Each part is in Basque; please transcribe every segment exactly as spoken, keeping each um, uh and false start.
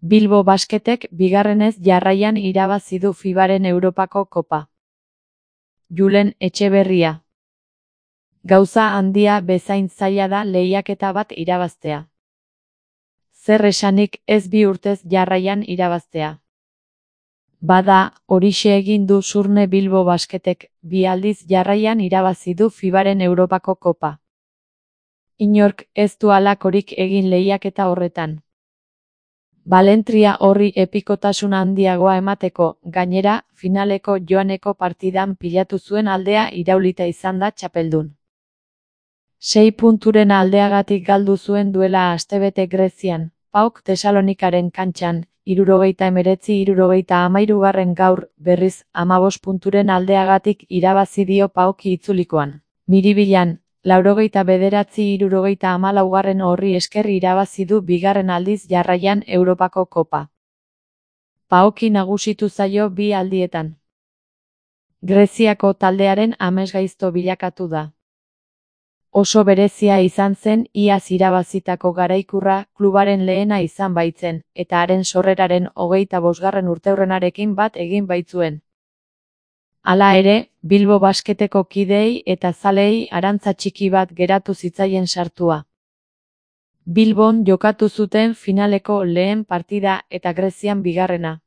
Bilbo Basketek bigarrenez jarraian irabazi du fibaren Europako Kopa. Julen Etxeberria. Gauza handia bezain zaila da lehiaketa bat irabaztea. Zer esanik ez bi urtez jarraian irabaztea. Bada, horixe egin du Zurne Bilbo Basketek, bi aldiz jarraian irabazi du fibaren Europako Kopa. Inork ez du halakorik egin lehiaketa horretan. Balentria horri epikotasun handiagoa emateko, gainera, finaleko joaneko partidan pilatu zuen aldea iraulita izan da txapeldun. Sei punturen aldeagatik galdu zuen duela astebete Grezian, PAOK Tesalonikaren kantxan, hirurogeita hemeretzi hirurogeita hamairugarren gaur, berriz, hamabost punturen aldeagatik irabazi dio PAOKi itzulikoan. Miribilan, laurogeita bederatzi hirurogeita hamalaugarren horri esker irabazi du bigarren aldiz jarraian Europako Kopa. PAOKi nagusitu zaio bi aldietan. Greziako taldearen amesgaizto bilakatu da. Oso berezia izan zen iaz irabazitako garaikurra klubaren lehena izan baitzen, eta haren sorreraren hogeita bosgarren urteurrenarekin bat egin baitzuen. Hala ere, Bilbo Basketeko kideei eta zaleei arantza txiki bat geratu zitzaien sartua. Bilbon jokatu zuten finaleko lehen partida eta Grezian bigarrena.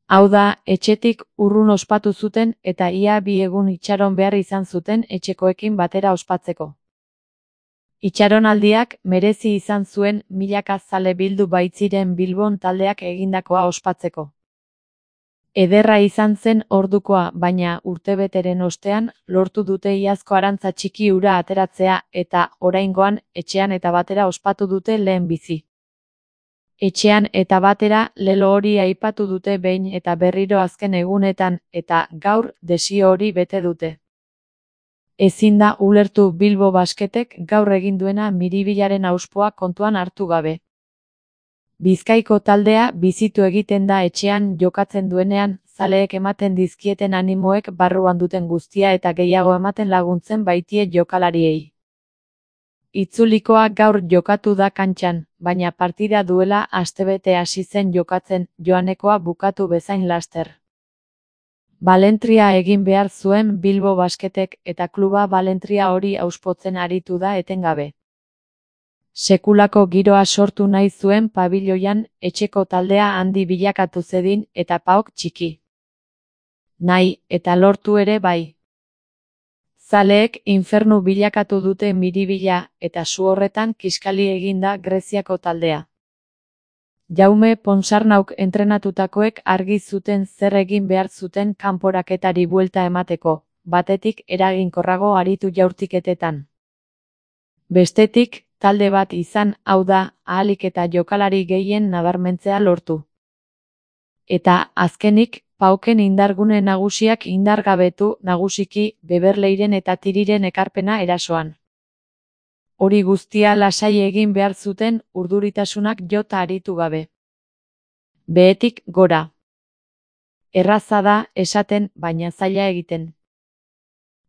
Hau da, etxetik urrun ospatu zuten eta ia bi egun itxaron behar izan zuten etxekoekin batera ospatzeko. Itxaronaldiak merezi izan zuen milaka zale bildu baitziren Bilbon taldeak egindakoa ospatzeko. Ederra izan zen ordukoa, baina urtebeteren ostean lortu dute iazko arantza txiki hura ateratzea eta oraingoan etxean eta batera ospatu dute lehen bizi. Etxean eta batera lelo hori aipatu dute behin eta berriro azken egunetan eta gaur desio hori bete dute. Ezin da ulertu Bilbo Basketek gaur egin duena Miribilaren auspoa kontuan hartu gabe. Bizkaiko taldea bizitu egiten da etxean jokatzen duenean, zaleek ematen dizkieten animoek barruan duten guztia eta gehiago ematen laguntzen baitie jokalariei. Itzulikoa gaur jokatu da kantxan, baina partida duela astebete hasi zen jokatzen, joanekoa bukatu bezain laster. Balentria egin behar zuen Bilbo Basketek eta kluba balentria hori auspotzen aritu da etengabe. Sekulako giroa sortu nahi zuen pabiloian etxeko taldea handi bilakatu zedin eta PAOK txiki. Nahi eta lortu ere bai. Zaleek infernu bilakatu dute Miribila eta su horretan kiskali eginda Greziako taldea. Jaume Ponsarnauk entrenatutakoek argi zuten zer egin behar zuten kanporaketari buelta emateko, batetik eraginkorrago aritu jaurtiketetan. Bestetik, talde bat izan, hau da, ahalik eta jokalari gehien nabarmentzea lortu. Eta, azkenik, PAOKen indargune nagusiak indargabetu nagusiki Beberleiren eta Tiriren ekarpena erasoan. Hori guztia lasai egin behar zuten urduritasunak jota aritu gabe. Behetik gora. Erraza da esaten, baina zaila egiten.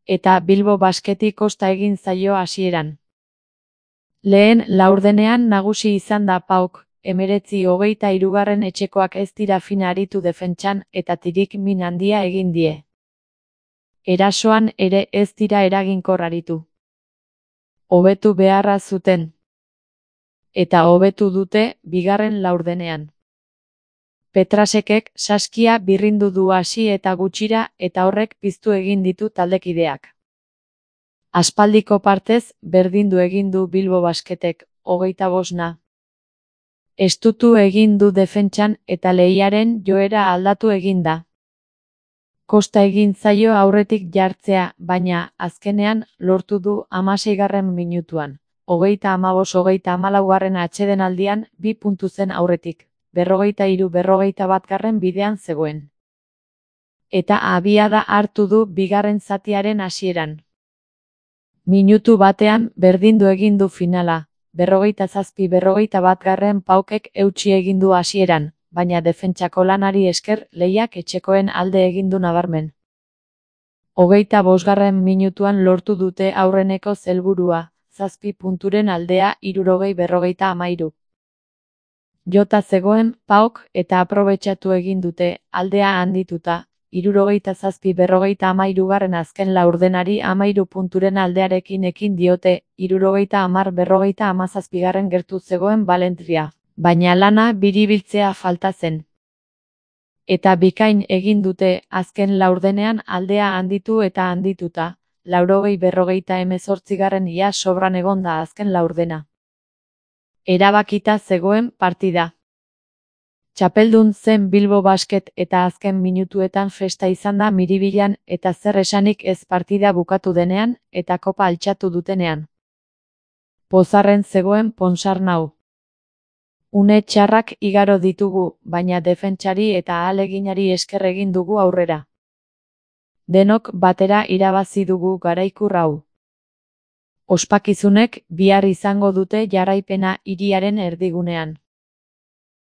Eta Bilbo Basketi kosta egin zaio hasieran. Lehen laurdenean nagusi izan da PAOK, hemeretzi hogeita hirugarren etxekoak ez dira fina aritu defentsan eta Tirik min handia egin die. Erasoan ere ez dira eraginkor aritu. Hobetu beharra zuten. Eta hobetu dute bigarren laurdenean. Petrasekek saskia birrindu du hasi eta gutxira eta horrek piztu egin ditu taldekideak. Aspaldiko partez berdindu egin du Bilbo Basketek, hogeita bosna. Estutu egin du defentsan eta lehiaren joera aldatu egin da. Kosta egin zaio aurretik jartzea, baina azkenean lortu du hamaseigarren minutuan. Hogeita hamabos hogeita hamalaugarren atsedenaldian bi puntu zen aurretik, berrogeita hiru berrogeita batgarren bidean zegoen. Eta abiada hartu du bigarren zatiaren hasieran. Minutu batean berdindu egin du finala. Berrogeita zazpi berrogeita batgarren PAOKek eutsi egin du hasieran, baina defentsako lanari esker lehiak etxekoen alde egin du nabarmen. Hogeita bosgarren minutuan lortu dute aurreneko helburua, zazpi punturen aldea hirurogei berrogeita hamairu. Jota zegoen Paok eta aprobetxatu egin dute, aldea handituta, hirurogeita zazpi berrogeita hamairugarren azken laurdenari hamairu punturen aldearekin ekin diote, hirurogeita hamar berrogeita hamazazpigarren gertu zegoen Valencia, baina lana biribiltzea falta zen. Eta bikain egin dute, azken laurdenean aldea handitu eta handituta, laurogei berrogeita hemezortzigarren ia sobran egon da azken laurdena. Erabakita zegoen partida. Txapeldun zen Bilbo Basket eta azken minutuetan festa izan da Miribilan eta zer esanik ez partida bukatu denean eta kopa altxatu dutenean. Pozarren zegoen Ponsarnau. Une txarrak igaro ditugu, baina defentsari eta ahaleginari esker egin dugu aurrera. Denok batera irabazi dugu garaikur hau. Ospakizunek bihar izango dute jarraipena hiriaren erdigunean.